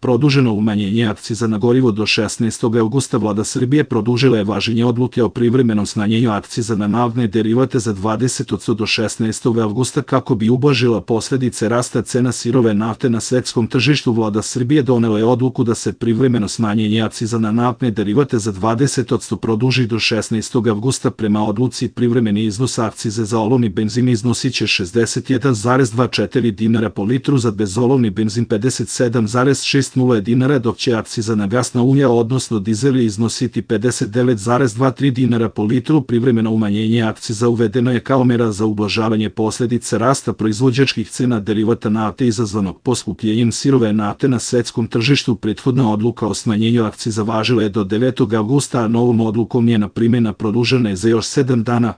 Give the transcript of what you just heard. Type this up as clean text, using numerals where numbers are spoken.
Produženo umanjenje akciza na gorivo do 16. avgusta. Vlada Srbije produžila je važenje odluke o privremenom smanjenju akciza na naftne derivate za 20% do 16. avgusta kako bi ublažila posledice rasta cena sirove nafte na svetskom tržištu. Vlada Srbije donela je odluku da se privremeno smanjenje akciza na naftne derivate za 20% produži do 16. avgusta. Prema odluci, privremeni iznos akcize za olovni benzin iznosiće 61,24 dinara po litru, za bezolovni benzin 57,60 dinara, dok će akciza na gasna ulja odnosno dizel iznositi 59,23 dinara po litru. Privremeno umanjenje akciza uvedeno je kao mera za ublažavanje posledica rasta proizvođačkih cena derivata nafte izazvanog poskupljenjem sirove nafte na svetskom tržištu. Prethodna odluka o smanjenju akciza važila je do 9. avgusta, a novom odlukom njena primjena produžena je za još 7 dana.